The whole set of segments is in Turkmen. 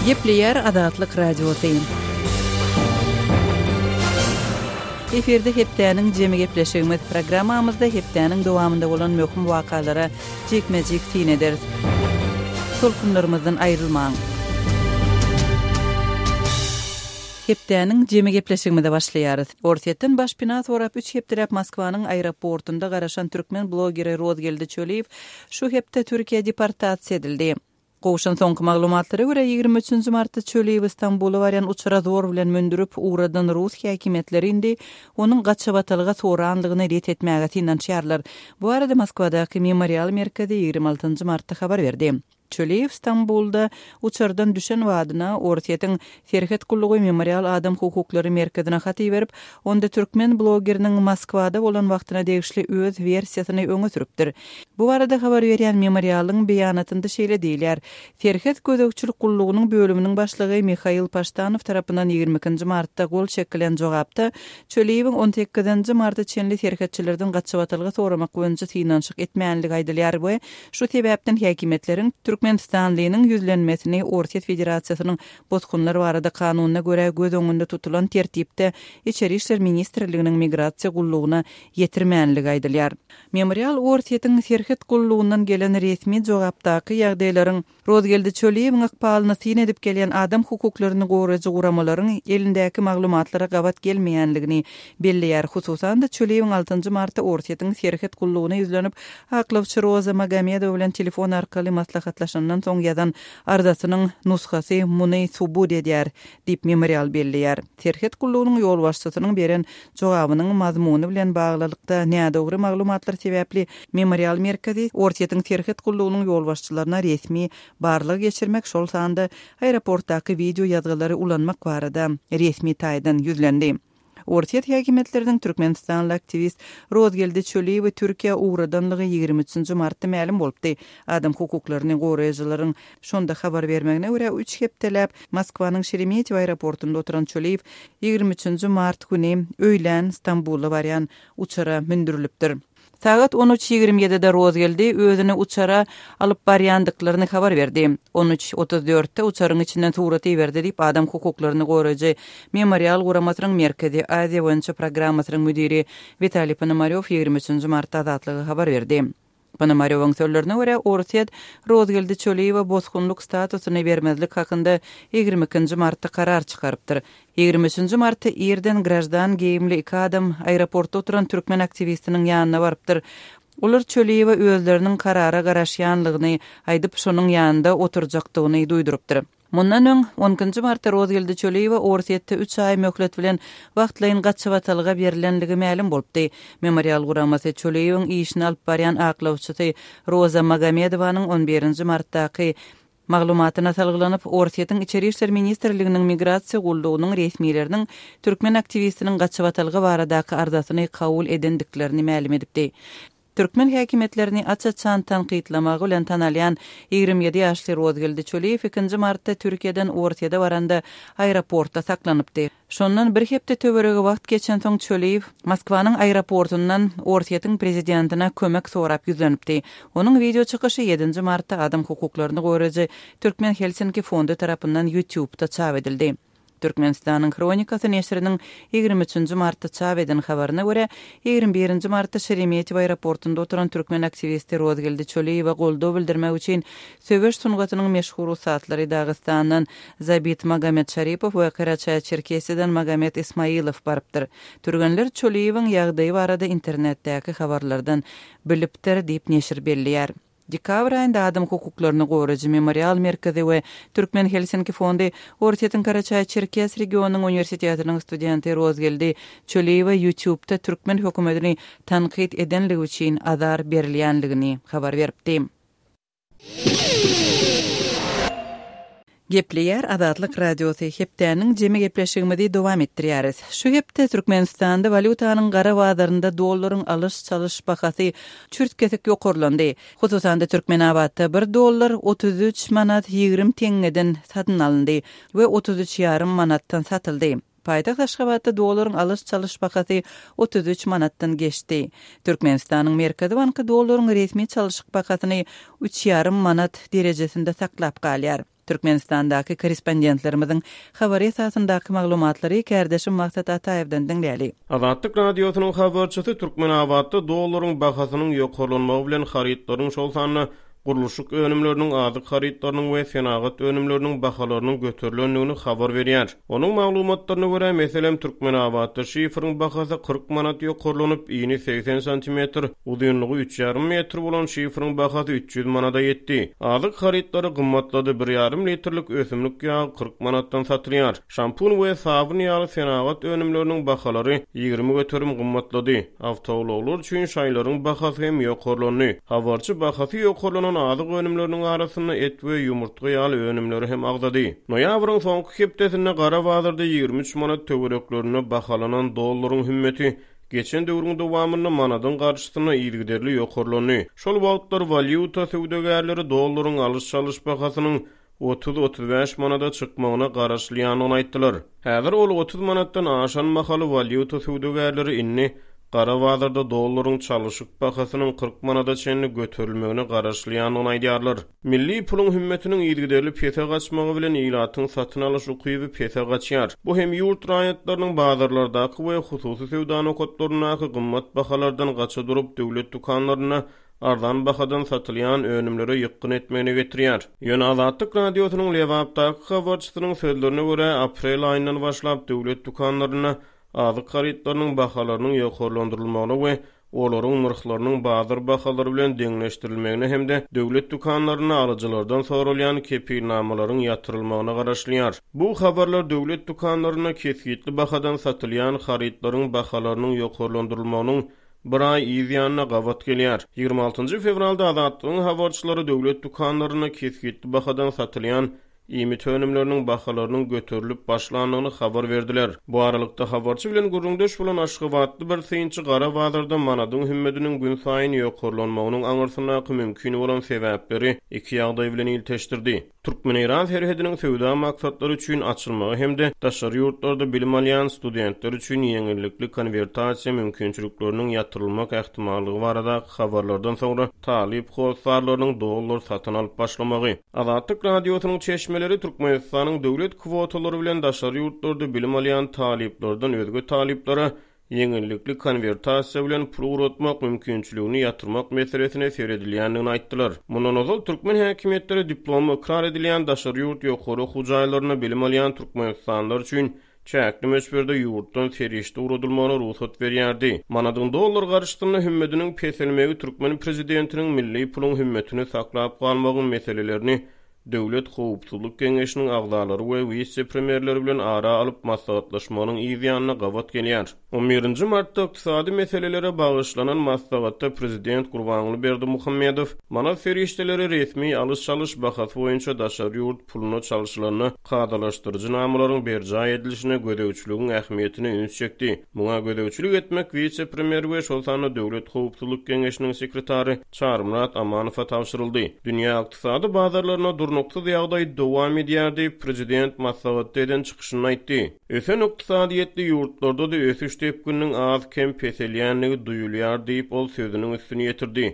Gepleýär Azatlyk Radiosy. Efirde hepdäniň jemi gepleşigimiz. Programmamyzda hepdäniň dowamynda bolan möhüm wakalara jikme-jik syn ederis. Tolkunlarymyzdan aýrylmaň. Hepdäniň jemi gepleşigimize başlaýarys. Orsýetden başpena sorap üç hepdeläp Moskwanyň aeroportunda garaşan türkmen blogeri Rozgeldi Çöliýew şu hepde Türkiýä deportasiýa edildi. Gowşan soňky maglumatlara görä, 23 nji martda Çöliýewi Stambula barýan uçara zor bilen mündürip ugradan rus häkimiýetleri indi onuň gaçybatalga soranlygyny ret etmäge synanyşýarlar. Bu barada Moskwadaky Memorial merkezi 26 nji martda habar berdi. Çöliýew Stambulda uçardan düşen badyna Orsýetiň Serhet gullugy Memorial adam hukuklary merkezine hat iberip, onda türkmen blogeriniň Moskwada bolan wagtyna degişli öz wersiýasyny öňe sürüpdir. Bu barada habar berýän Memorialyň beýanatynda şeýle diýilýär, Serhet gözegçilik gullugynyň bölüminiň başlygy Mihail Paştanow tarapyndan 22 nji martda gol çekilen jogapda Çöliýewiň on sekizinji marta çenli serhetçilerden gaçybatalga soramak boýunça synanyşyk etmänligi aýdylýar we Şu sebäpden häkimiýetleriň türkmenistanlynyň ýüzlenmesini Orsýet Federasiýasynyň Bosgunlar barada kanunyna görä göz öňünde tutulan tertipde Içeri işler ministrliginiň Migrasiýa gullugyna ýetirmänligi aýdylýar. Memorial Orsýetiň Serhet gullugyndan gelen resmi jogapdaky ýagdaýlaryň Rozgeldi Çöliýewiň ykbalyna syn edip gelýän adam hukuklaryny goraýjy guramalaryň elindäki maglumatlara gabat gelmeýänligini belleýär. Hususan-da, Çöliýewiň altynjy martda Orsýetiň Serhet gullugyna ýüzlenip, aklawçy Roza Magomedowa bilen telefon arkaly maslahatlaşandan soň ýazan arzasynyň nusgasy muny subut edýär, diýip, Memorial belleýär. Serhet gullugynyň ýolbaşçysynyň beren jogabynyň mazmuny bilen baglylykda nädogry maglumatlar sebäpli Memorial merkezi Orsýetiň serhet gullugynyň ýolbaşçylaryna resmi barlag geçirmek, şol sanda aeroportdaky wideo ýazgylary ulanmak barada resmi taýdan ýüzlendi. Orsýet häkimiýetleriniň türkmenistanly aktiwist Rozgeldi Çöliýewi Türkiýä ugradanlygy 23 nji martda mälim bolupdy. Adam hukuklaryny goraýjylaryň şonda habar bermegine görä, üç hepdeläp Moskwanyň Şeremetýewo aeroportunda oturan Çöliýew 23 nji mart güni öýlän Stambula barýan uçara mündürilipdir. Sagat on üç ýigrimi ýedide Rozgeldi özüni uçara alyp barýandyklaryny habar berdi. On üç 34-de uçaryň içinden surat iberdi diýip, adam hukuklaryny goraýjy Memorial guramasynyň Merkezi Aziýa boýunça programmasynyň müdiri Witaliý Ponomarýow ýigrimi üçünji martda Azatlyga habar berdi. Ponomarýowyň sözlerine görä, Orsýet Rozgeldi Çöliýewe bosgunlyk statusyny bermezlik hakynda ýigrimi ikinji martda karar çykarypdyr. Ýigrimi üçünji martda irden graždan geýimli iki adam aeroportda oturan türkmen aktiwistiniň ýanyna barypdyr. Olar Çöliýewe özleriniň karara garaşýanlygyny aýdyp, şonuň ýanynda oturjakdygyny duýdurypdyr. Mundan öň, on ikinji martda Rozgeldi Çöliýewe Orsýetde üç aý möhlet bilen wagtlaýyn gaçybatalga berlenligi mälim bolupdy. Memorial guramasy Çöliýewiň işini alyp barýan aklawçysy Roza Magomedowanyň on birinji martdaky Maglumatyna salgylanyp, Orsýetiň Içeri işler ministrliginiň Migrasiýa gullugynyň resmileriniň türkmen aktiwistiniň gaçybatalga baradaky arzasyny kabul edendiklerini mälim edipdi. Türkmen häkimiýetlerini aç-açan tankytlamagy bilen tanalýan 27 ýaşly Rozgeldi Çöliýew ikinji martda Türkiýeden Orsýede baranda aeroportda saklanypdy. Şondan bir hepde töweregi wagt geçensoň Çöliýew Moskwanyň aeroportundan Orsýetiň prezidentine kömek sorap ýüzlenipdi. Onuň wideo çykyşy ýedinji martda adam hukuklaryny goraýjy Türkmen Helsinki fondy tarapyndan YouTube-da çap edildi. Türkmenistanyň Hronikasy neşiriniň ýigrimi üçünji martda çap eden habaryna görä, ýigrimi birinji martda Şeremetýewo aeroportunda oturan türkmen aktiwisti Rozgeldi Çöliýewe goldaw bildirmek üçin söweş sungatynyň meşhur ussatlary Dagystandan Zabit Magomed Şaripow we Karaçaý-Çerkesiýadan Magomed Ismailow barypdyr. Türgenler Çöliýewiň ýagdaýy barada internetdäki habarlardan bilipdir diýip, neşir belleýär. Dekabr aýynda adam hukuklaryny goraýjy Memorial merkezi we Türkmen Helsinki fondy Orsýetiň Karaçaý-Çerkes regionynyň uniwersitetiniň studenti Rozgeldi Çöliýewe YouTube-da türkmen hökümetini tankyt edenligi üçin azar berilýänligini habar beripdi. Gepleýär Azatlyk Radiosy, Hepdäniň jemi gepleşigimizi dowam etdirýäris. Şu hepde Türkmenistanda walýutanyň gara bazarynda dollaryň alyş-çalyş bahasy çürt-kesik ýokarlandy. Hususan-da, Türkmenabatda bir dollar 33 manat 20 teňňeden satyn alyndy we 33 ýarym manatdan satyldy. Paýtagt Aşgabatda dollaryň alyş-çalyş bahasy 33 manatdan geçdi. Türkmenistanyň Merkezi banky dollaryň resmi çalşyk bahasyny üç ýarym manat derejesinde saklap galýar. Türkmenistandaky korrespondentlerimiziň habary esasyndaky maglumatlary kärdeşim Maksat Ataýewden diňläli. Azatlyk Radiosynyň habarçysy Türkmenabatda dollaryň bahasynyň ýokarlanmagy bilen harytlaryň, şol sanda gurluşyk önümleriniň, azyk harytlarynyň we senagat önümleriniň bahalarynyň göterilendigini habar berýär. Onuň maglumatlaryna görä, meselem, Türkmenabatda şiferiň bahasy 40 manat ýokarlanyp, ini 80 santimetr, uzynlygy üç ýarym metr bolan şiferiň bahasy 300 manada ýetdi. Azyk harytlary gymmatlady, bir ýarym litrlik ösümlik ýagy 40 manatdan satylýar. Şampun we sabyn ýaly senagat önümleriniň bahalary 20% gymmatlady. Awtoulaglar üçin şaýlaryň bahasy hem ýokarlandy. Habarçy bahasy ýokarlanan azyk önümleriniň arasynda et we ýumurtga ýaly önümleri hem agzady. Noýabryň soňky hepdesinde gara bazarda 23 manat töwereklerinde bahalanan dollaryň hümmeti geçen döwrüň dowamynda manadyň garşysyna yzygiderli ýokarlandy. Şol wagtlar walýuta söwdagärleri dollaryň alyş-çalyş bahasynyň 30-35 manada çykmagyna garaşylýandygyny aýtdylar. Häzir ol 30 manatdan aşan mahaly walýuta söwdagärleri indi gara bazarda dollaryň çalyşyk bahasynyň 40 manada çenli göterilmegine garaşylýandygyny aýdýarlar. Milli puluň hümmetiniň yzygiderli pese gaçmagy bilen ilatyň satyn alyş ukyby pese gaçýar. Bu hem ýurt raýatlarynyň bazarlardaky we hususy söwda nokatlaryndaky gymmat bahalardan gaça durup, döwlet dükanlarynda arzan bahadan satylýan önümlere ýykgyn etmegine getirýär. Ýöne Azatlyk Radiosynyň Lebapdaky habarçysynyň sözlerine görä, aprel aýyndan başlap döwlet dükanlarynda azyk harytlarynyň bahalarynyň ýokarlandyrylmagyna we olaryň nyrhlarynyň bazar bahalary bilen deňleşdirilmegine hem-de döwlet dükanlarynda alyjylardan soralýan kepilnamalaryň ýatyrylmagyna garaşylýar. Bu habarlar döwlet dükanlarynda kesgitli bahadan satylýan harytlaryň bahalarynyň ýokarlandyrylmagynyň bir aý yz ýanyna gabat gelýär. 26 fewralda Azatlygyň habarçylary döwlet dükanlarynda kesgitli bahadan satylýan iýmit önümleriniň bahalarynyň göterilip başlandygyny habar berdiler. Bu aralykda, habarçy bilen gürrüňdeş bolan aşgabatly bir synçy gara bazarda manadyň hümmediniň günsaýyn ýokarlanmagynyň aňyrsyndaky mümkin bolan sebäpleri iki ýagdaý bilen ilteşdirdi. Türkmen-eýran serhediniň söwda maksatlary üçin açylmagy hem-de daşary ýurtlarda bilim alýan studentler üçin ýeňillikli konwertasiýa mümkinçilikleriniň ýatyrylmak ähtimallygy baradaky habarlardan soňra talyp hossarlarynyň dollar satyn alyp başlamagy. Azatlyk Radiosynyň çeşmeleri Türkmenistanyň döwlet kwotalary bilen daşary ýurtlarda bilim alýan talyplardan özge talyplara ýeňillikli konwertasiýa bilen pul ugratmak mümkinçiligini ýatyrmak meselesine seredilýändigini aýtdylar. Mundan ozal türkmen häkimiýetleri diplomy ykrar edilýän daşary ýurt ýokary okuw jaýlarynda bilim alýan türkmenistanlylar üçin çäkli möçberde ýurtdan serişde ugradylmagyna rugsat berýärdi. Manadyň dollar garşysynda hümmediniň peselmegi türkmen prezidentiniň milli puluň hümmetini saklap galmagyň meselelerini Döwlet howpsuzlyk geňeşiniň agzalary we wise-premýerleri bilen ara alyp maslahatlaşmagynyň yz ýanyna gabat gelýär. On birinji martda ykdysady meselelere bagyşlanan maslahatda prezident Gurbanguly Berdimuhamedow manat serişdeleri resmi alyş-çalyş bahasy boýunça daşary ýurt puluna çalşylanda kadalaşdyryjy namalaryň berjaý edilişine gözegçiligiň ähmiýetine üns çekdi. Muňa gözegçilik etmek wise-premýer we şol sanda Döwlet howpsuzlyk geňeşiniň sekretary Çarymyrat Amanowa tabşyryldy. Dünýä ykdysady bazarlarynda durnuksyz ýagdaý dowam edýär diýip, prezident maslahatda eden çykyşynda aýtdy. Ösen ykdysadyýetli ýurtlarda-da ösüş depgininiň az-kem peselýändigi duýulýar diýip, ol sözüniň üstüni ýetirdi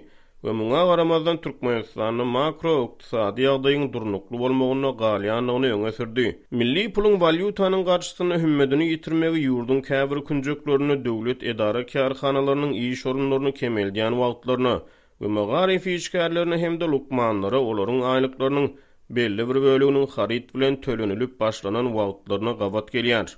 we muňa garamazdan Türkmenistanda makroykdysady ýagdaýyň durnukly bolmagynda galýandygyny öňe sürdi. Milli puluň walýutanyň garşysynda hümmedini ýitirmegi ýurduň käbir künjeklerinde döwlet edara-kärhanalarynyň iş orunlaryny kemeldýän wagtlaryna we magaryf işgärlerine hem-de lukmanlara olaryň aýlyklarynyň belli bir böleginiň haryt bilen tölenilip başlanan wagtlaryna gabat gelýär.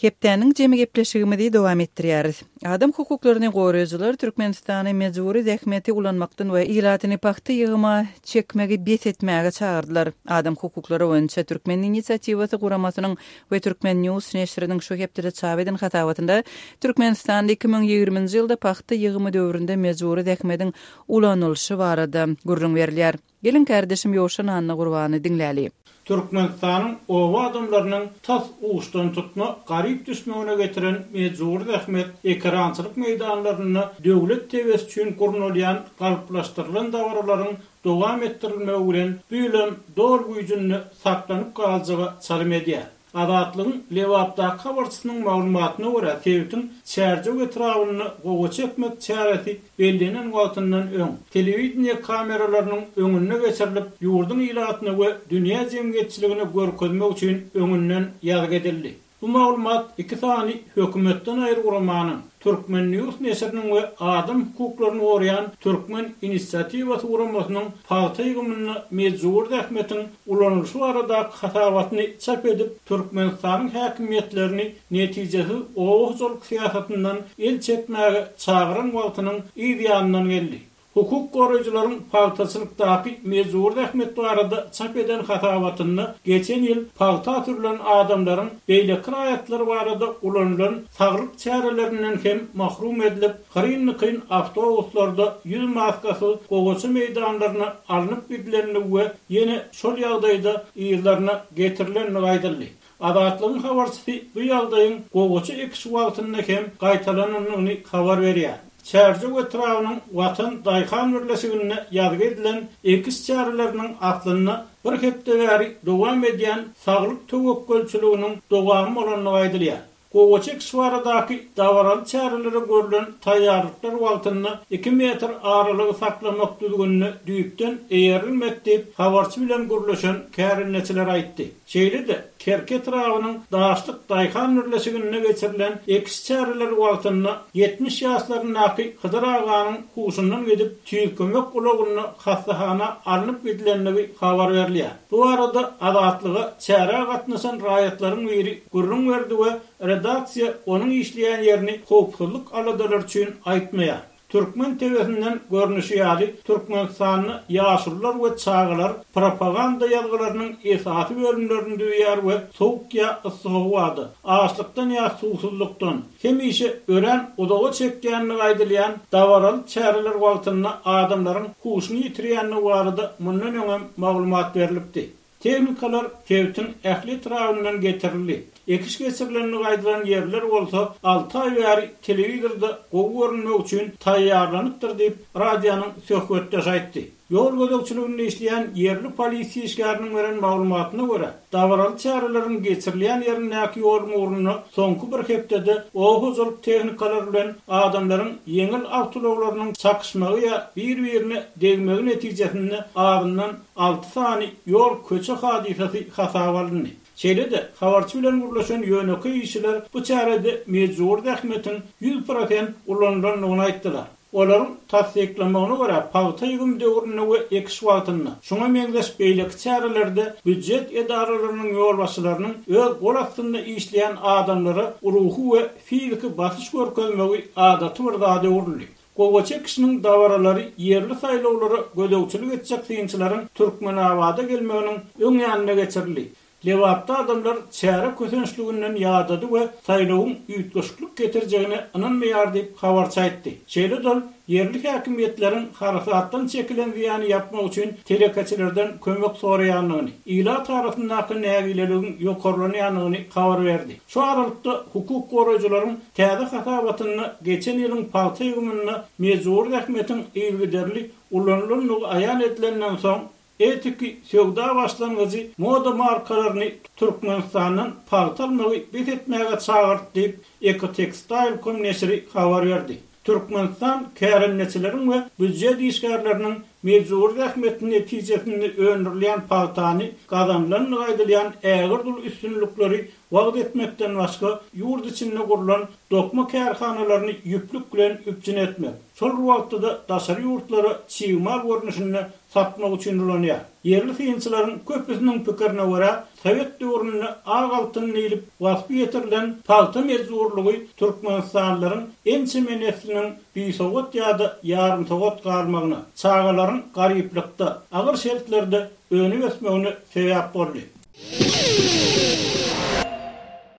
Hepdäniň jemi gepleşigimizi dowam etdirýäris. Adam hukuklaryny goraýjylar Türkmenistany mejbury zähmeti ulanmakdan we ilatyny pagta ýygyma çekmegi bes etmäge çagyrdylar. Adam hukuklary boýunça Türkmen inisiatiwasy guramasynyň we Turkmen News neşiriniň şu hepdede çap eden hasabatynda Türkmenistanda 2020-nji ýylda pagta ýygymy döwründe mejbury zähmediň ulanylyşy barada gürrüň berilýär. Geliň kärdeşim Ýowşan Annagurbany diňläli. Türkmenistanyň oba adamlarynyň tas uçdantutma garyp düşmegine getiren mejbury zähmet ekerançylyk meýdanlarynda döwlet tebesi üçin gurnalýan galplaşdyrylan dabaralaryň dowam etdirilmegi bilen bu ýylam doly güýjünde saklanyp galjaga çalym edýär. Azatlygyň Lebapdaky habarçysynyň maglumatyna görä, sebitiň Çärjew etrabynda gowaça ekmek çäresi bellenen wagtyndan öň, telewideniýe kameralarynyň öňünde geçirilip, ýurduň ilatyna we dünýä jemgyýetçiligine görkezmek üçin öňünden ýazgy edildi. Bu maglumat iki sany hökümetden aýry guramanyň, Turkmen. News neşiriniň we adam hukuklaryny goraýan Türkmen inisiatiwasy guramasynyň pagta ýygymynda mejbury zähmetiň ulanylyşy baradaky hasabatyny çap edip, Türkmenistanyň häkimiýetlerini netijesiz oba hojalyk syýasatyndan el çekmäge çagyran wagtynyň yz ýanyndan geldi. Hukuk goraýjylaryň pagtaçylykdaky mejbury zähmet barada çap eden hasabatynda geçen ýyl pagta sürlen adamlaryň beýleki raýatlar barada ulanylan saglyk çärelerinden hem mahrum edilip, hyryn-dykyn awtobuslarda ýüz maskasyz gowaça meýdanlaryna alnyp gidilendigi we ýene şol ýagdaýda yzlaryna getirilendigi aýdyldy. Azatlygyň habarçysy bu ýagdaýyň gowaça ekişi wagtynda hem gaýtalanandygyny habar berýär. Çärjew etrabynyň Watan daýhan birleşiginde ýazgy edilen ekiş çäreleriniň aslynda bir hepde bäri dowam edýän saglyk töwekgelçiliginiň dowamy bolandygy aýdylýar. Gowaça ekişi baradaky dabaraly çärelere görlen taýýarlyklar wagtynda iki metr aralygy saklamak düzgünine düýpden eýerilmedi diýip, habarçy bilen gürleşen kärendeçiler aýtdy. Şeýle-de, Kerki etrabynyň Daşlyk daýhan birleşiginde geçirilen ekiş çäreleri wagtynda 70 ýaşlaryndaky Hydyr aganyň huşundan gidip, tiz kömek ulagynda hassahana alnyp gidilendigi habar berilýär. Bu barada Azatlyga çärä gatnaşan raýatlaryň biri gürrüň berdi we redaksiýa onuň işleýän ýerini howpsuzlyk aladalary üçin aýtmaýar. Türkmen TW-sinden görnüşi ýaly, Türkmenistanda ýaşulular we çagalar propaganda ýazgylarynyň esasy bölümlerini düzýär we sowuk ýa yssy howada, açlykdan ýa suwsuzlykdan, hemişe örän uzaga çekýändigi aýdylýan dabaraly çäreler wagtynda adamlaryň huşuny ýitirýändigi barada mundan öňem maglumat berlipdi. Tehnikalar sebitiň ähli etrabyndan getirildi. Ekiş geçirilendigi aýdylan ýerler bolsa alty aý bäri telewizorda gowy görünmek üçin taýýarlanypdyr diýip, radionyň söhbetdeşi aýtdy. Ýol gözegçiliginde işleýän ýerli polisiýa işgäriniň beren maglumatyna görä, dabaraly çäreleriň geçirilýän ýerindäki ýoluň ugrunda soňky bir hepdede oba hojalyk tehnikalary bilen adamlaryň ýeňil awtoulaglarynyň çakyşmagy ýa bir-birine degmegi netijesinde azyndan alty sany ýol-köçe hadysasy hasaba alyndy. Şeýle-de, habarçy bilen gürleşen ýönekeý işçiler bu çärede mejbury zähmetiň 100% ulanylandygyny aýtdylar. Olaryň tassyklamagyna görä, pagta ýygym döwründe we ekiş wagtynda, şuňa meňzeş beýleki çärelerde býujet edaralarynyň ýolbaşçylarynyň öz gol astynda işleýän adamlara ruhy we fiziki basyş görkezmegi adaty bir zada öwrüldi. Gowaça ekişiniň dabaralary ýerli saýlawlara gözegçilik etjek synçylaryň Türkmenabada gelmeginiň öň ýanynda geçirildi. Lebapda adamlar çäre kösençliginden ýadady we saýlawyň üýtgeşiklik getirjegine ynanmaýar diýip, habarçy aýtdy. Şeýle-de ol ýerli häkimiýetleriň harasatdan çekilen zyýany ýapmak üçin telekeçilerden kömek soraýandygyny, ilat arasyndaky nägileligiň ýokarlanýandygyny habar berdi. Şu aralykda, hukuk goraýjylaryň täze hasabatynda geçen ýylyň pagta ýygymynda mejbury zähmetiň yzygiderli ulanylandygy aýan edilenden soň, Etiki söwda başlangyjy moda markalaryny Türkmenistandan pagta almagy bes etmäge çagyrdy diýip, Ecotextile. Com neşiri habar berdi. Türkmenistan kärendeçileriň we býujet işgärleriniň mejbury zähmeti netijesinde öndürilýän pagtany gazanylandygy aýdylýan ägirt uly üstünlikleri wagyz etmekden başga, ýurt içinde gurlan dokma kärhanalaryny ýüplük bilen üpjün etmek, şol bir wagtda-da daşary ýurtlara çig mal görnüşinde satmak üçin ulanýar. Ýerli synçylaryň köpüsiniň pikirine görä, sowet döwründe ak altyn diýlip waspy ýetirilen pagta mejburlygy türkmenistanlylaryň ençeme nesliniň bisowat ýa-da ýarymsowat galmagyna, çagalaryň garyplykda, agyr şertlerde önüp-ösmegine sebäp boldy.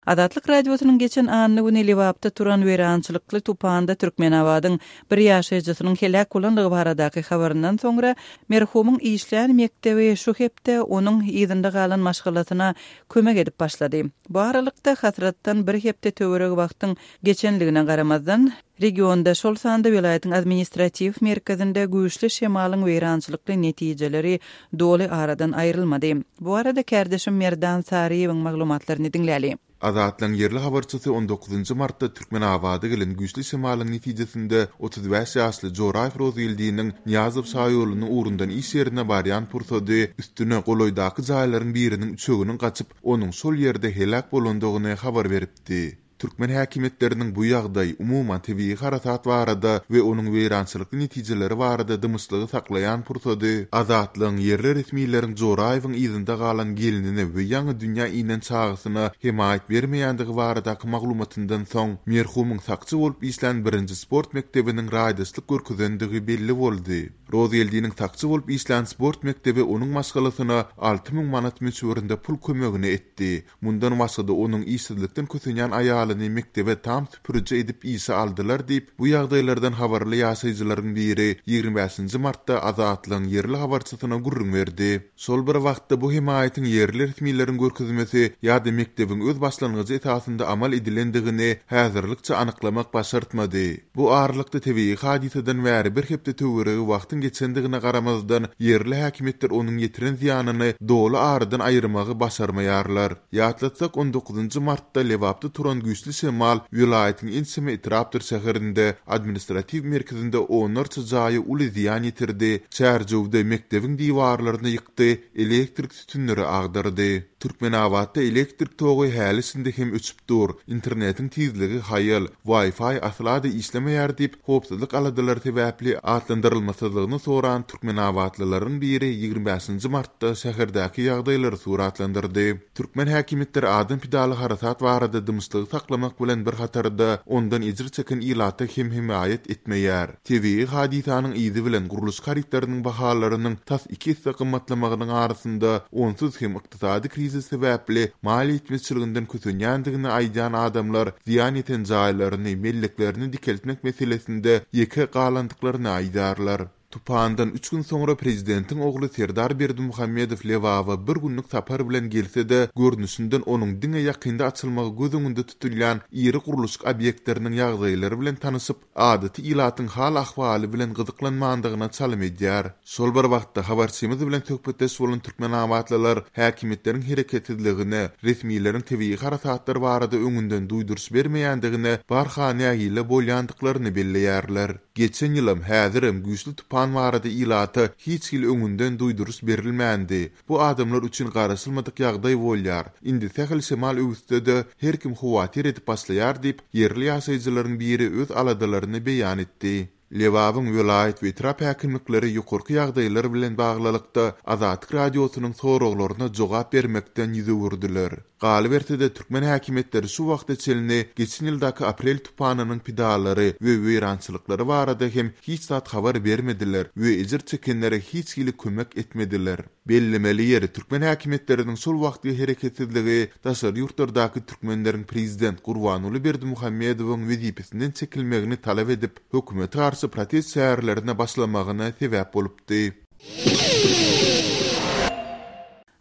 Azatlyk Radiosynyň geçen anna güni Lebapda turan weýrançylykly tupanda Türkmenabadyň bir ýaşaýjysynyň heläk bolandygy baradaky habaryndan soňra, merhumyň işlän mekdebi şu hepde onuň yzynda galan maşgalasyna kömek edip başlady. Bu aralykda, hasratdan bir hepde töweregi wagtyň geçenligine garamazdan, regionda, şol sanda welaýatyň administratiw merkezinde güýçli şemalyň weýrançylykly netijeleri doly aradan aýrylmady. Bu barada kärdeşim Merdan Saryýewiň maglumatlaryny diňläli. Azatlygyň ýerli habarçysy on dokuzynjy martda Türkmenabada gelen güýçli şemalyň netijesinde 35 ýaşly Joraýew Rozgeldiniň Nyýazow şaýolunyň ugrundan iş ýerine barýan pursady üstüne golaýdaky jaýlaryň biriniň üçeginiň gaçyp, onuň şol ýerde heläk bolandygyny habar beripdi. Türkmen häkimiýetleriniň bu ýagdaý, umuman, tebigy harasat barada we onuň weýrançylykly netijeleri barada dymyşlygy saklaýan pursady, Azatlygyň ýerli resmileriň Joraýewiň yzynda galan gelnine we ýaňy dünýä inen çagasyna hemaýat bermeýändigi baradaky maglumatyndan soň, merhumyň sakçy bolup işlän birinji sport mekdebiniň raýdaşlyk görkezendigi belli boldy. Rozgeldiniň sakçy bolup işlän sport mekdebi onuň maşgalasyna 6000 manat möçberinde pul kömegini etdi. Mundan başga-da onuň işsizlikden kösenýän aýalyny mekdebe tam süpüriji edip işe aldylar diýip, bu ýagdaýlardan habarly ýaşaýjylaryň biri 25 nji martda Azatlygyň ýerli habarçysyna gürrüň berdi. Şol bir wagtda bu hemaýatyň ýerli resmileriň görkezmesi ýa-da mekdebiň öz başlangyjy esasynda amal edilendigini häzirlikçe anyklamak başartmady. Bu aralykda tebigy hadysadan bäri bir hepde töweregi wagtyň geçendigine garamazdan, ýerli häkimiýetler onuň ýetiren zyýanyny doly aradan aýyrmagy başarmaýarlar. Ýatlatsak, on dokuzynjy martda Lebapda turan güýçli şemal welaýatyň ençeme etrapdyr şäherinde, administratiw merkezinde onlarça jaýa uly zyýan ýetirdi, Çärjewde mekdebiň diwarlaryny ýykdy, elektrik sütünleri agdardy. Türkmenabatda elektrik togy häli-şindi hem öçüp dur, internetiň tizligi haýal, Wi-Fi asla-da işlemeýär diýip, howpsuzlyk aladalary sebäpli atlandyrylmasyzlygyny soran türkmenabatlylaryň biri 25 nji martda şäherdäki ýagdaýlary suratlandyrdy. Türkmen häkimiýetleri adam pidaly harasat barada dymyşlygy saklamak bilen bir hatarda, ondan ejir çeken ilata hem hemaýat etmeýär. Tebigy hadysanyň yzy bilen gurluşyk harytlarynyň bahalarynyň tas iki esse gymmatlamagynyň arasynda, onsuz hem ykdysady krizis sebäpli maliýe ýetmezçiliginden kösenýändigini aýdýan adamlar zyýan ýeten jaýlaryny, melleklerini dikeltmek meselesinde ýeke galandyklaryny aýdýarlar. Tupandan üç gün soňra prezidentiň ogly Serdar Berdimuhamedow Lebaba bir günlük sapar bilen gelse-de, görnüşinden onuň diňe ýakynda açylmagy göz öňünde tutulýan iri gurluşyk obýektleriniň ýagdaýlary bilen tanyşyp, adaty ilatyň hal-ahwaly bilen gyzyklanmandygyna çalym edýär. Şol bir wagtda, habarçymyz bilen söhbetdeş bolan türkmenabatlylar häkimiýetleriň hereketsizligine, resmileriň tebigy harasatlar barada öňünden duýduryş bermeýändigine barha nägile bolýandyklaryny belleýärler. Geçen ýylam, häzirem güýçli tupan barada ilata hiç hili öňünden duýduryş berilmändi. Bu adamlar üçin garaşylmadyk ýagdaý bolýar. Indi sähel şemal öwüsse-de, her kim howatyr edip başlaýar diýip, ýerli ýaşaýjylaryň biri öz aladalaryny beýan etdi. Lebabyň welaýat we etrap häkimlikleri ýokarky ýagdaýlar bilen baglylykda Azatlyk Radiosynyň soraglaryna jogap bermekden ýüz öwürdiler. Galyberse-de, türkmen häkimiýetleri şu wagta çenli geçen ýyldaky aprel tupanynyň pidalary we weýrançylyklary barada hem hiç zat habar bermediler we ejir çekenlere hiç hili kömek etmediler. Bellemeli ýeri, türkmen häkimiýetleriniň şol wagtky hereketsizligi daşary ýurtlardaky türkmenleriň prezident Gurbanguly Berdimuhamedowyň wezipesinden çekilmegini talap edip, hökümete garşy protest çärelerine başlamagyna sebäp bolupdy.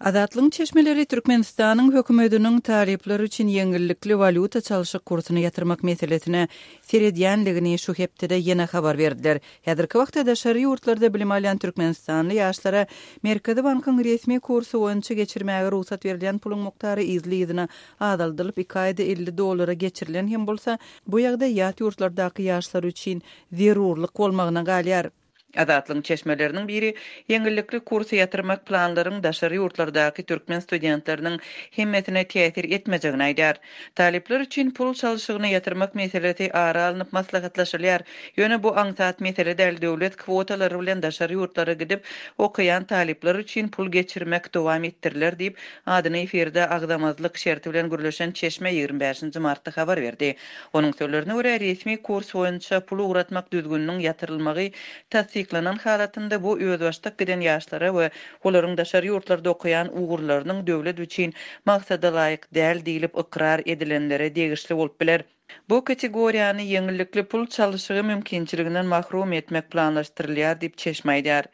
Azatlygyň çeşmeleri Türkmenistanyň hökümetiniň talyplar üçin ýeňillikli walýuta çalşyk kursuny ýatyrmak meselesine seredýändigini şu hepdede ýene habar berdiler. Häzirki wagtda daşary ýurtlarda bilim alýan türkmenistanly ýaşlara Merkezi bankyň resmi kursy boýunça geçirmäge rugsat berilýän puluň mukdary yzly-yzyna azaldylyp, iki aýda 50 dollara geçirilen hem bolsa, bu ýagdaý ýat ýurtlardaky ýaşlar üçin zerurlyk bolmagyna galýar. Azatlygyň çeşmeleriniň biri ýeňillikli kursy ýatyrmak planlaryň daşary ýurtlardaky türkmen studentleriniň hemmesine täsir etmejegini aýdýar. Talyplar üçin pul çalşygyny ýatyrmak meselesi ara alnyp maslahatlaşylýar. Ýöne bu aňsat mesele däl, döwlet kwotalary bilen daşary ýurtlara gidip okaýan talyplar üçin pul geçirmek dowam etdiriler diýip, adyny efirde agzamazlyk şerti bilen gürleşen çeşme 25 nji martda habar berdi. Onuň sözlerine görä, resmi kurs boýunça pul ugratmak düzgüniniň ýatyrylmagy tassyk. tassyklanan halatynda bu özbaşdak giden ýaşlara we olaryň daşary ýurtlarda okaýan ugurlarynyň döwlet üçin maksadalaýyk däl diýlip ykrar edilenlere degişli bolup biler. Bu kategoriýany ýeňillikli pul çalşygy mümkinçiliginden mahrum etmek planlaşdyrylýar diýip, çeşme aýdýar.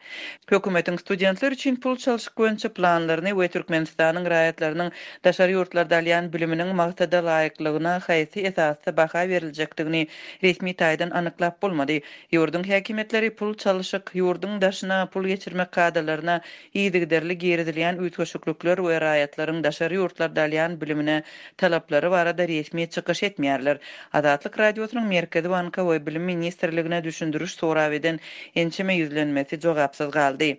Hökümetiň studentler üçin pul çalşyk boýunça planlaryny we Türkmenistanyň raýatlarynyň daşary ýurtlarda alýan biliminiň maksada laýyklygyna haýsy esasda baha beriljekdigini resmi taýdan anyklap bolmady. Ýurduň häkimiýetleri pul çalşyk, ýurduň daşyna pul geçirmek kadalaryna yzygiderli girizilýän üýtgeşiklikler we raýatlaryň daşary ýurtlarda alýan bilimine talaplary barada resmi çykyş etmeýärler. Azatlyk Radiosynyň Merkezi banka we Bilim ministrligine düşündiriş sorap eden ençeme ýüzlenmesi jogapsyz galdy.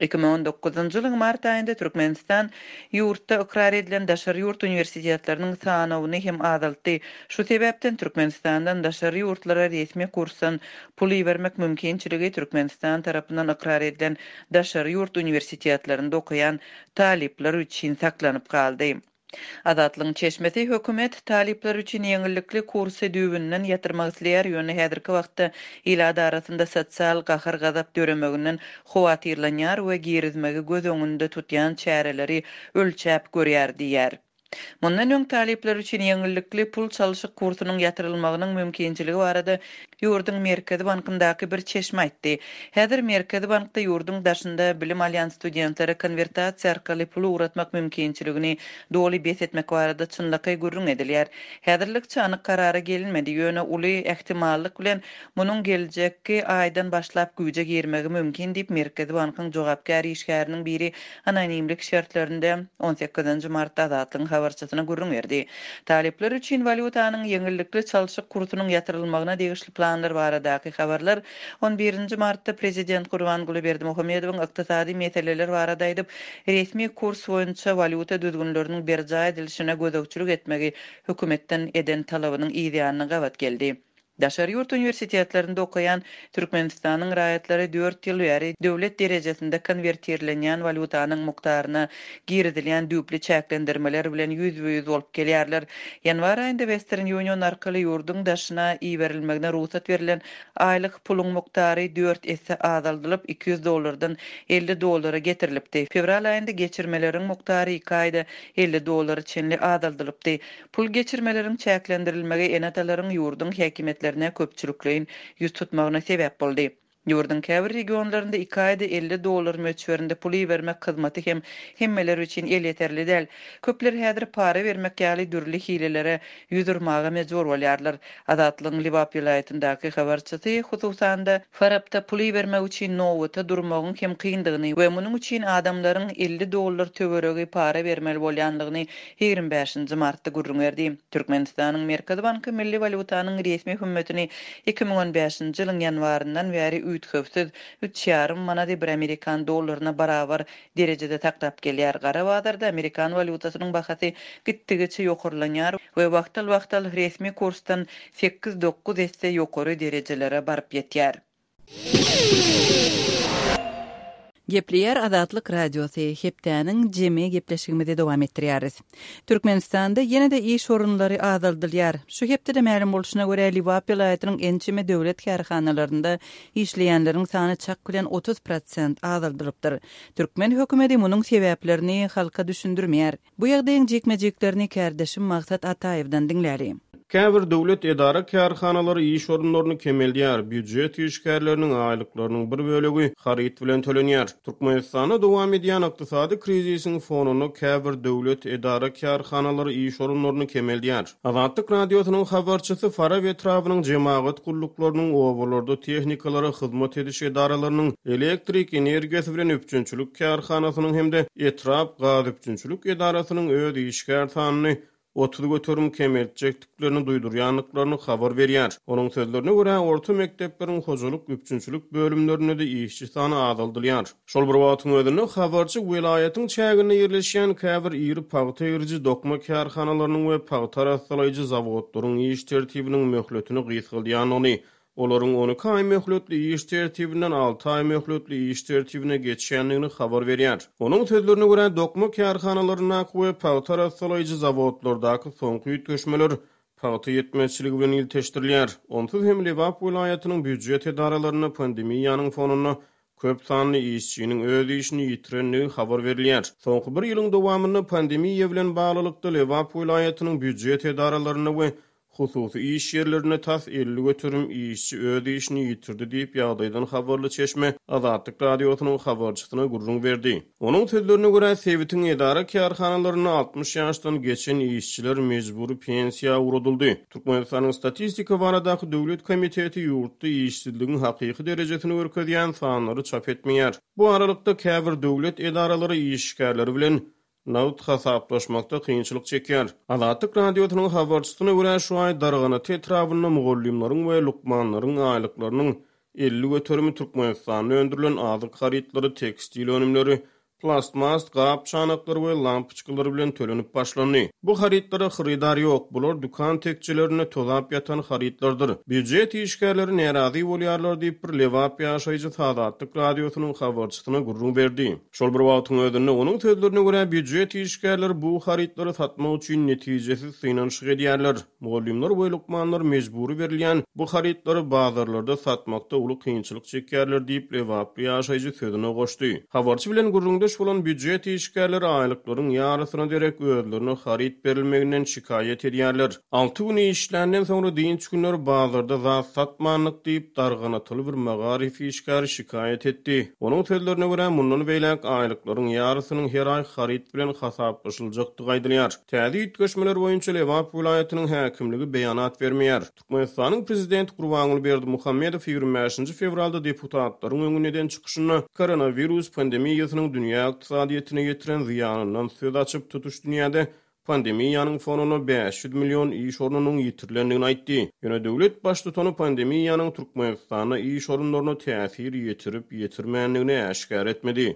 2019-njy ýylyň mart aýynda Türkmenistan ýurtda ykrar edilen daşary ýurt uniwersitetleriniň sanawyny hem azaltdy. Şu sebäpden Türkmenistandan daşary ýurtlara resmi kursdan pul ibermek mümkinçiligi Türkmenistan tarapyndan ykrar edilen daşary ýurt uniwersitetlerinde okaýan talyplar üçin saklanyp galdy. Azatlygyň çeşmesi hökümet talyplar üçin ýeňillikli kursy düýbünden ýatyrmak isleýär, ýöne häzirki wagtda ilat arasynda sosial gahar-gazap döremeginden howatyrlanýar we girizmegi göz öňünde tutýan çäreleri ölçäp görýär diýýär. Mundan öň talyplar üçin ýeňillikli pul çalşyk kursunyň ýatyrylmagynyň mümkinçiligi barada ýurduň Merkezi bankyndaky bir çeşme aýtdy. Häzir Merkezi bankda ýurduň daşynda bilim alýan studentlere konwertasiýa arkaly pul ugratmak mümkinçiligini doly bes etmek barada çynlakaý gürrüň edilýär. Häzirlikçe anyk karara gelinmedi, ýöne uly ähtimallyk bilen munuň geljekki aýdan başlap güýje girmegi mümkin diýip, Merkezi bankyň jogapkär işgäriniň biri anonimlik şertlerinde on sekizinji martda Azatlygyň habarçysyna gürrüň berdi. Talyplar üçin walýutanyň ýeňillikli çalşyk kursunyň ýatyrylmagyna degişli planlar baradaky habarlar on birinji martda prezident Gurbanguly Berdimuhamedowyň ykdysady meseleler barada aýdyp, resmi kurs boýunça walýuta düzgünleriniň berjaý edilişine gözegçilik etmegi hökümetden eden talabynyň yzýanyna gabat geldi. Daşary ýurt uniwersitetlerinde okaýan Türkmenistanyň raýatlary dört ýyl bäri döwlet derejesinde konwertirlenýän walýutanyň mukdaryna girizilýän düýpli çäklendirmeler bilen ýüzbe-ýüz bolup gelýärler. Ýanwar aýynda Western Union arkaly ýurduň daşyna iberilmegine rugsat berlen aýlyk puluň mukdary dört esse azaldylyp, 200 dollardan 50 dollara getirilipdi. Fewral aýynda geçirmeleriň mukdary iki aýda 50 dollara çenli azaldylypdy. Pul geçirmeleriň çäklendirilmegi ene-atalaryň ýurduň häkimiýetlerine köpçülikleýin ýüz tutmagyna sebäp boldy. Ýurduň käbir regionlarynda iki aýda 50 dollar möçberinde pul ibermek hyzmaty hem hemmeler üçin elýeterli däl. Köpler häzir para bermek ýaly dürli hilelere ýüz urmaga mejbur bolýarlar. Azatlygyň Lebap welaýatyndaky habarçysy, hususan-da, Farapda pul ibermek üçin nobata durmagyň hem kyndygyny we munuň üçin adamlaryň 50 dollar töweregi para bermeli bolýandygyny 25-nji martda gürrüň berdi. Türkmenistanyň Merkezi banky milli walýutanyň resmi hümmetini 2015-nji ýylyň ýanwaryndan bäri üýtgewsiz üç ýarym manady bir amerikan dollaryna barabar derejede saklap gelýär. Gara bazarda amerikan walýutasynyň bahasy gitdigiçe ýokarlanýar we wagtal-wagtal resmi kursdan sekiz-dokuz esse ýokary derejelere baryp ýetýär. Gepleýär Azatlyk Radiosy, Hepdäniň jemi gepleşigimizi dowam etdirýäris. Türkmenistanda ýene-de iş orunlary azaldylýar. Şu hepdede mälim bolşuna görä, Lebap welaýatynyň ençeme döwlet kärhanalarynda işleýänleriň sany çak bilen 30 prosent azaldylypdyr. Türkmen hökümeti munuň sebäplerini halka düşündirmeýär. Bu ýagdaýyň jikme-jiklerini kärdeşim Maksat Ataýewden diňläli. Käbir döwlet edara-kärhanalary iş orunlaryny kemeldýär, býujet işgärleriniň aýlyklarynyň bir bölegi haryt bilen tölenýär. Türkmenistanda dowam edýän ykdysady krizisiň fonunda käbir döwlet edara-kärhanalary iş orunlaryny kemeldýär. Azatlyk Radiosynyň habarçysy Farap etrabynyň jemagat gulluklarynyň, obalarda tehnikalara hyzmat ediş edaralarynyň, elektrik energiýasy bilen üpjünçilik kärhanasynyň hem-de etrap gazüpjünçilik edarasynyň öz işgär sanyny 30% kemeltjekdiklerini duýdurýandyklaryny habar berýär. Onuň sözlerine görä, orta mekdepleriň hojalyk üpjünçilik bölümlerinde-de işçi sany azaldylýar. Şol bir wagtyň özünde, habarçy welaýatyň çäginde ýerleşýän käbir iri pagta egriji dokma kärhanalarynyň we pagta arassalaýjy zawodlaryň iş tertibiniň möhletini gysgaldýandygyny, olaryň 12 aý möhletli iş tertibinden alty aý möhletli iş tertibine geçýändigini habar berýär. Onuň sözlerine görä, dokma kärhanalaryndaky we pagta arassalaýjy zawodlardaky soňky üýtgeşmeler. Pagta ýetmezçiligi bilen ilteşdirilýär. Onsuz hem Lebap welaýatynyň býujet edaralarynda pandemiýanyň fonunda köp sanly işçiniň öz işini ýitirendigi habar berilýär. Soňky bir ýylyň dowamynda pandemiýa bilen baglylykda Lebap welaýatynyň býujet edaralarynda we hususy iş ýerlerinde tas 50% işçi öz işini ýitirdi diýip, ýagdaýdan habarly çeşme Azatlyk Radiosynyň habarçysyna gürrüň berdi. Onuň sözlerine görä, sebitiň edara-kärhanalarynda 60 ýaşdan geçen işçiler mejbury pensiýa ugradyldy. Türkmenistanyň Statistika baradaky döwlet komiteti ýurtda işsizligiň hakyky derejesini görkezýän sanlary çap etmeýär. Bu aralykda, käbir döwlet edaralary işgärleri bilen nagt hasaplaşmakda kynçylyk çekýär. Azatlyk Radiosynyň habarçysyna görä, şu aý Darganata etrabynda mugallymlaryň we lukmanlaryň aýlyklarynyň 50 göterimi Türkmenistanda öndürilen azyk harytlary, tekstil önümleri, plastmas gap-çanaklar we lampoçkalar bilen tölenip başlandy. Bu harytlara hyrydar ýok, bular dükan tekjelerinde tozap ýatan harytlardyr. Býujet işgärleri närazy bolýarlar diýip, bir lebap ýaşaýjysy Azatlyk Radiosynyň habarçysyna gürrüň berdi. Şol bir wagtyň özünde, onuň sözlerine görä, býujet işgärleri bu harytlary satmak üçin netijesiz synanyşyk edýärler. Mugallymlar we lukmanlar mejbury berilýän bu harytlary bazarlarda satmakda uly kynçylyk çekýärler diýip, lebaply ýaşaýjy sözüne goşdy. Habarçy bilen gürrüňdeş bolan býujet işgärleri aýlyklaryň ýarysyna derek özlerine haryt berilmeginden şikaýat edýärler. Alty gün işländen soňra dynç günleri bazarda zat satmandyk diýip, darganatyly bir magaryf işgäri şikaýat etdi. Onuň sözlerine görä, mundan beýläk aýlyklaryň ýarysynyň her aý haryt bilen hasaplaşyljakdygy aýdylýar. Täze üýtgeşmeler boýunça Lebap welaýatynyň häkimligi beýanat bermeýär. Türkmenistanyň Prezidenti Gurbanguly Berdimuhamedow 25-nji fewralda deputatlaryň öňünde eden çykyşynda koronawirus pandemiýasynyň dünýä ykdysadyýetine ýetiren zyýanyndan söz açyp, tutuş dünýäde pandemiýanyň fonunda 500 million iş ornunyň ýitirilendigini aýtdy. Ýöne döwlet baştutany pandemiýanyň Türkmenistanda iş orunlaryna täsir ýetirip-ýetirmändigini äşgär etmedi.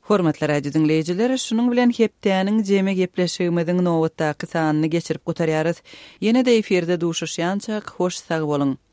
Hormatly radio diňleýjiler, şunuň bilen hepdäniň jemi gepleşigimiziň nobatdaky sanyny geçirip gutarýarys. Ýene-de efirde duşuşýançak, hoş sag boluň!